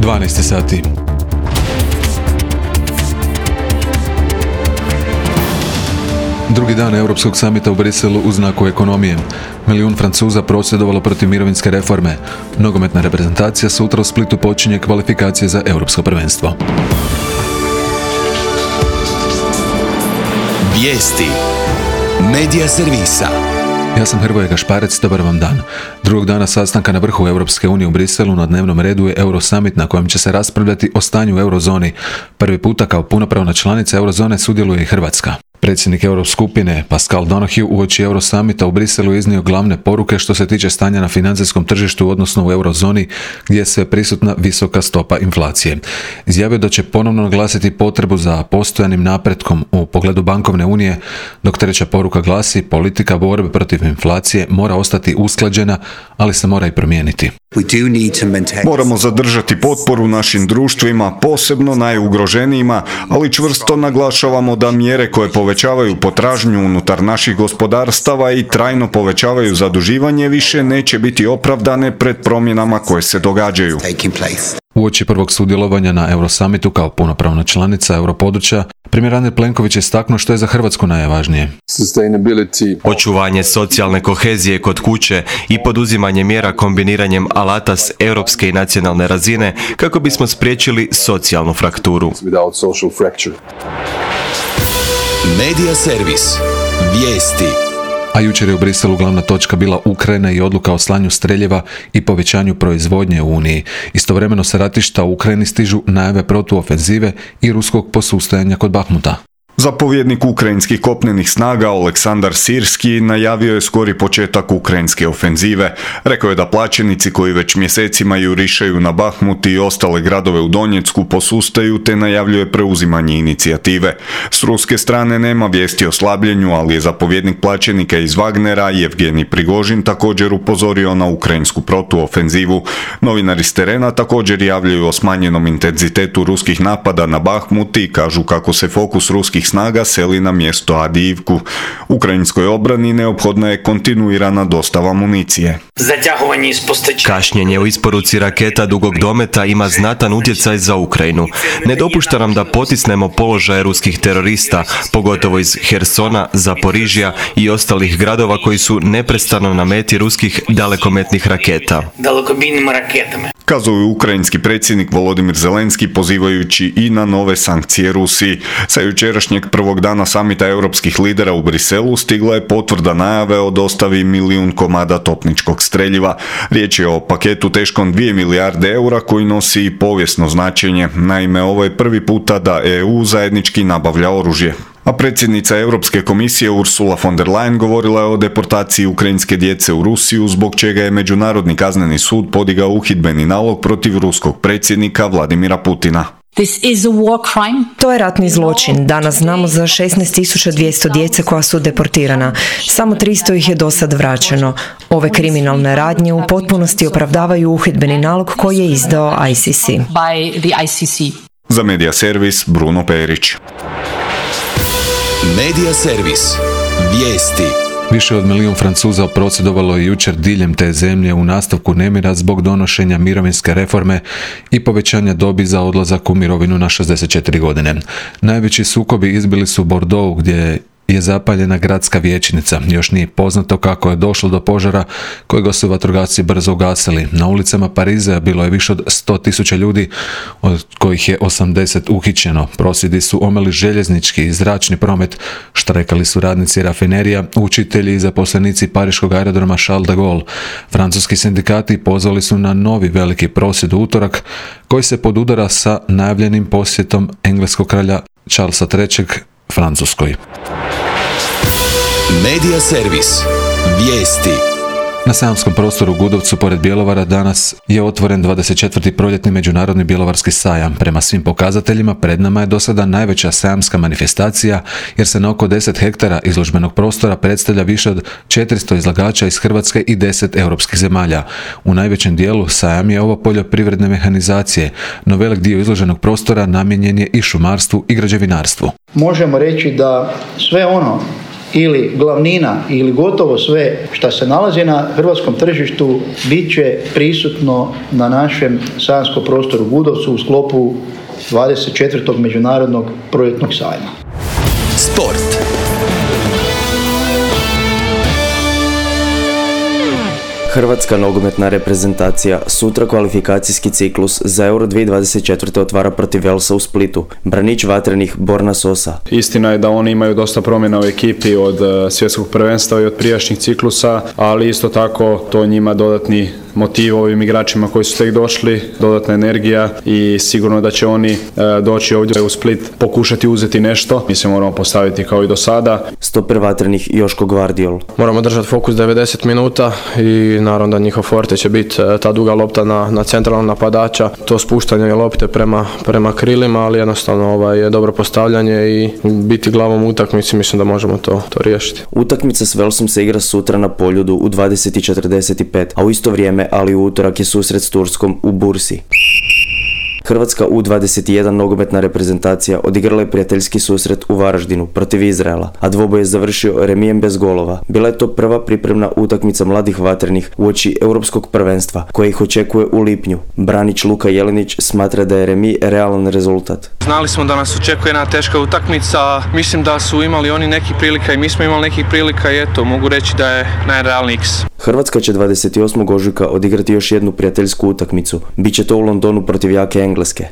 12 sati. Drugi dan Europskog samita u Briselu u znaku ekonomije. Milijun Francuza prosvjedovalo protiv mirovinske reforme. Nogometna reprezentacija sutra u Splitu počinje kvalifikacije za europsko prvenstvo. Vijesti Medija servisa. Ja sam Hrvoje Gašparec, dobar vam dan. Drugog dana sastanka na vrhu Europske unije u Briselu na dnevnom redu je Eurosummit na kojem će se raspravljati o stanju u eurozoni. Prvi puta kao punopravna članica eurozone sudjeluje i Hrvatska. Predsjednik Euroskupine Pascal Donoghue uoči Eurosummita u Briselu iznio glavne poruke što se tiče stanja na financijskom tržištu, odnosno u eurozoni gdje je sve prisutna visoka stopa inflacije. Izjavio da će ponovno naglasiti potrebu za postojanim napretkom u pogledu bankovne unije, dok treća poruka glasi: politika borbe protiv inflacije mora ostati usklađena, ali se mora i promijeniti. Moramo zadržati potporu našim društvima, posebno najugroženijima, ali čvrsto naglašavamo da mjere koje povećavaju potražnju unutar naših gospodarstava i trajno povećavaju zaduživanje više neće biti opravdane pred promjenama koje se događaju. Uoči prvog sudjelovanja na Eurosummitu kao punopravna članica europodručja, premijer Andrej Plenković je istaknuo što je za Hrvatsku najvažnije. Očuvanje socijalne kohezije kod kuće i poduzimanje mjera kombiniranjem alata s europske i nacionalne razine kako bismo spriječili socijalnu frakturu. Medija servis. Vijesti. A jučer je u Briselu glavna točka bila Ukrajina i odluka o slanju streljeva i povećanju proizvodnje u Uniji. Istovremeno sa ratišta u Ukrajini stižu najave protuofenzive i ruskog posustajanja kod Bahmuta. Zapovjednik ukrajinskih kopnenih snaga Oleksandar Sirski najavio je skori početak ukrajinske ofenzive. Rekao je da plaćenici koji već mjesecima jurišaju na Bahmut i ostale gradove u Donjecku posustaju te najavljuje preuzimanje inicijative. S ruske strane nema vijesti o slabljenju, ali je zapovjednik plaćenika iz Wagnera Jevgenij Prigožin također upozorio na ukrajinsku protuofenzivu. Novinari s terena također javljaju o smanjenom intenzitetu ruskih napada na Bahmut i kažu kako se fokus ruskih snaga seli na mjesto Adijivku. Ukrajinskoj obrani neophodna je kontinuirana dostava municije. Kašnjenje u isporuci raketa dugog dometa ima znatan utjecaj za Ukrajinu. Ne dopušta nam da potisnemo položaje ruskih terorista, pogotovo iz Hersona, Zaporižja i ostalih gradova koji su neprestano na meti ruskih dalekometnih raketa. Kazao je ukrajinski predsjednik Volodimir Zelenski pozivajući i na nove sankcije Rusiji. Sa jučerašnjeg prvog dana samita europskih lidera u Briselu stigla je potvrda najave o dostavi 1 milijun komada topničkog streljiva. Riječ je o paketu teškom 2 milijarde eura koji nosi i povijesno značenje. Naime, ovo je prvi puta da EU zajednički nabavlja oružje. A predsjednica Europske komisije Ursula von der Leyen govorila je o deportaciji ukrajinske djece u Rusiju, zbog čega je Međunarodni kazneni sud podigao uhidbeni nalog protiv ruskog predsjednika Vladimira Putina. To je ratni zločin. Danas znamo za 16.200 djece koja su deportirana. Samo 300 ih je do sad vraćeno. Ove kriminalne radnje u potpunosti opravdavaju uhidbeni nalog koji je izdao ICC. Za Medija servis Bruno Perić. Medija servis. Vijesti. Više od milijun Francuza prosvjedovalo je jučer diljem te zemlje u nastavku nemira zbog donošenja mirovinske reforme i povećanja dobi za odlazak u mirovinu na 64 godine. Najveći sukobi izbili su u Bordeauxu gdje je zapaljena gradska vijećnica. Još nije poznato kako je došlo do požara kojega su vatrogasci brzo ugasili. Na ulicama Pariza bilo je više od 100.000 ljudi, od kojih je 80 uhićeno. Prosvjedi su omeli željeznički i zračni promet, štrajkali su radnici rafinerija, učitelji i zaposlenici pariškog aerodroma Charles de Gaulle. Francuski sindikati pozvali su na novi veliki prosvjed u utorak, koji se podudara sa najavljenim posjetom engleskog kralja Charlesa III Francuskoj. Medija servis. Vijesti. Na sajamskom prostoru u Gudovcu pored Bjelovara danas je otvoren 24. proljetni međunarodni bjelovarski sajam. Prema svim pokazateljima pred nama je do sada najveća sajamska manifestacija jer se na oko 10 hektara izložbenog prostora predstavlja više od 400 izlagača iz Hrvatske i 10 europskih zemalja. U najvećem dijelu sajam je ovo poljoprivredne mehanizacije, no velik dio izloženog prostora namijenjen je i šumarstvu i građevinarstvu. Možemo reći da sve ono ili glavnina ili gotovo sve što se nalazi na hrvatskom tržištu bit će prisutno na našem sajamskom prostoru Gudovcu u sklopu 24. međunarodnog projektnog sajma. Sport. Hrvatska nogometna reprezentacija sutra kvalifikacijski ciklus za Euro 2024. otvara protiv Velsa u Splitu. Branič vatrenih Borna Sosa. Istina je da oni imaju dosta promjena u ekipi od svjetskog prvenstva i od prijašnjih ciklusa, ali isto tako to njima dodatni motiv ovim igračima koji su tek došli, dodatna energija i sigurno da će oni doći ovdje u Split pokušati uzeti nešto. Mi se moramo postaviti kao i do sada. Stoper vatrenih Joško Gvardiol. Moramo držati fokus 90 minuta i naravno da njihov forte će biti ta duga lopta na centralnog napadača, to spuštanje lopte prema krilima, ali jednostavno je dobro postavljanje i biti glavom u utakmici, mislim da možemo to riješiti. Utakmica s Velsom se igra sutra na Poljudu u 20:45, a u isto vrijeme, ali u utorak je susret s Turskom u Bursi. Hrvatska U21 nogometna reprezentacija odigrala je prijateljski susret u Varaždinu protiv Izraela, a dvoboj je završio remijem bez golova. Bila je to prva pripremna utakmica mladih vatrenih uoči europskog prvenstva, koje ih očekuje u lipnju. Branič Luka Jelinić smatra da je remi realan rezultat. Znali smo da nas očekuje jedna teška utakmica, mislim da su imali oni nekih prilika i mi smo imali nekih prilika i eto, mogu reći da je najrealniji X. Hrvatska će 28. ožujka odigrati još jednu prijateljsku utakmicu. Biće to u Londonu protiv jake Engleske.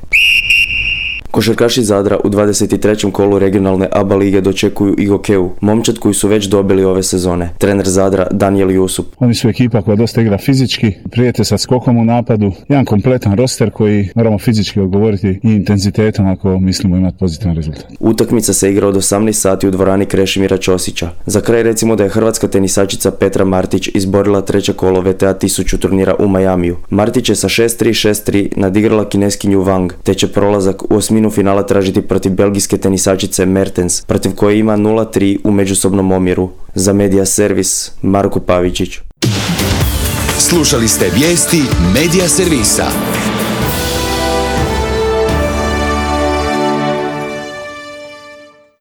Košarkaši Zadra u 23. kolu regionalne ABA lige dočekuju i Gokeu, momčad koji su već dobili ove sezone. Trener Zadra Danijel Jusup. Oni su ekipa koja dosta igra fizički, prijete sa skokom u napadu, jedan kompletan roster koji moramo fizički odgovoriti i intenzitetom ako mislimo imati pozitivan rezultat. Utakmica se igra od 18 sati u dvorani Krešimira Ćosića. Za kraj recimo da je hrvatska tenisačica Petra Martić izborila treće kolo VTA 1000 turnira u Majamiju. Martić je sa 6-3, 6-3 nadigrala kineskinju Wang, te će prolazak u osminu finala tražiti protiv belgijske tenisačice Mertens, protiv koje ima 0-3 u međusobnom omjeru. Za Media Servis, Marko Pavičić. Slušali ste vijesti Media Servisa.